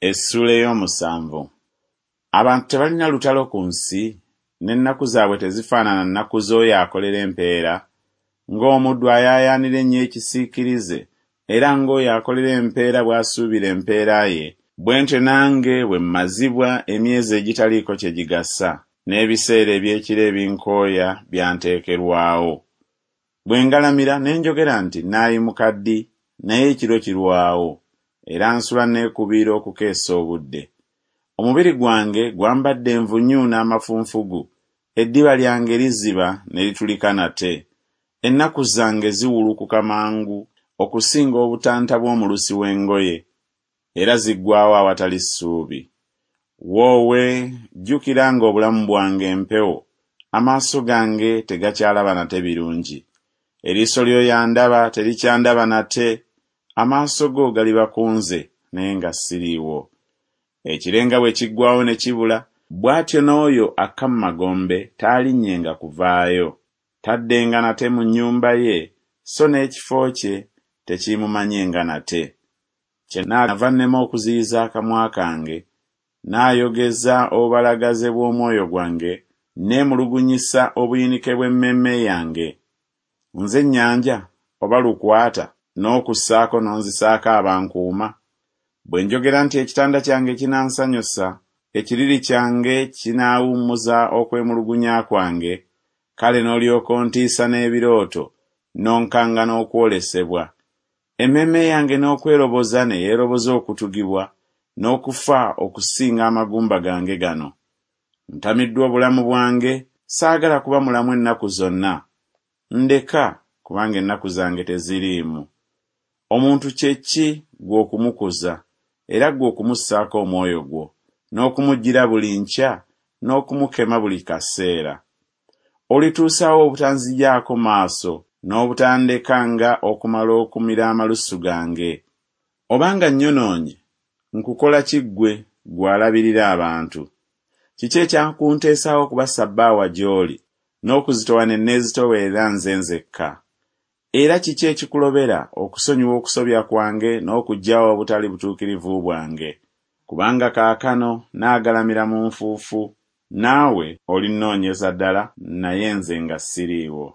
Essuula ey'omusanvu. Abantu tebalina lutalo ku nsi, n'ennaku zaabwe tezifaanana nnaku z'oyo akolera empeera? Ng'omuddu ayaayaanira ennyo ekisiikirize, era ng'oyo akolera empeera bw'asuubira empeera ye, bwe ntyo nange bwe mmazibwa emyezi egitaliiko kye gigasa, n'ebiseera eby'ekiro ebinkooya byanteekerwawo. Bwe ngalamira ne njogera nti Nnaayimuka ddi? Naye ekiro kirwawo, era nsula neekubiira okukeesa obudde. Omubiri gwange gwambadde envunyu n'amafunfugu, eddiba lyange liziba ne litulika nate. Ennaku zange ziwulukuka mangu okusinga obutanta bw'omulusi w'engoye, era ziggwaawo awatali ssuubi. Woowe, jjukira ng'obulamu bwange mpewo, amaaso gange tegakyalaba nate birungi. Eriiso ly'oyo andaba terikyandaba nate, amaaso go galiba ku nze, naye nga siriiwo. Ekire nga bwe kiggwaawo ne kibula, bw'atyo n'oyo akka mu magombe taalinnyenga kuvaayo. Taddenga nate mu nnyumba ye, so n'ekifo kye tekiimumanyenga nate. Kyennaava nnema okuziyiza akamwa kange, naayogeza obubalagaze bw'omwoyo gwange, nneemulugunyisa obuyinike bw'emmeeme yange. Nze nnyanja, oba lukwata, n'okussaako n'onzisaako abankuuma? Bwe njogera nti ekitanda kyange kinansanyusa, ekiriri kyange kinaawummuza okwemulugunya kwange, kale n'olyoka ontiisa n'ebirooto, n'onkanga n'okwolesebwa. Emmeeme yange n'okweroboza ne yeeroboza okutugibwa, n'okufa okusinga amagumba gange gano. Ntamiddwa obulamu bwange, saagala kuba mulamu ennaku zonna. Ndeka, kubanga ennaku zange teziriimu. Omuntu kye ki ggwe okumukuza, era ggwe okumussaako omwoyo gwo, n'okumujjira buli nkya, n'okumukema buli kaseera? Olituusa wa obutanzigyako maaso, n'obutandeka nga okumala okumira amalusu gange? Obanga nnyonoonye, nkukola ki ggwe, ggwe alabirira abantu? Kiki ekyakunteesaawo okuba ssabbaawa gy'oli, n'okuzitowa ne neezitoowerera nze nzekka? Era kiki ekikulobera okusonyiwa okusobya kwange n'okuggyawo obutali butuukirivu bwange? Kubanga kaakano naagalamira mu nfuufu, naawe olinnoonyeza ddala, naye nze nga siriiwo.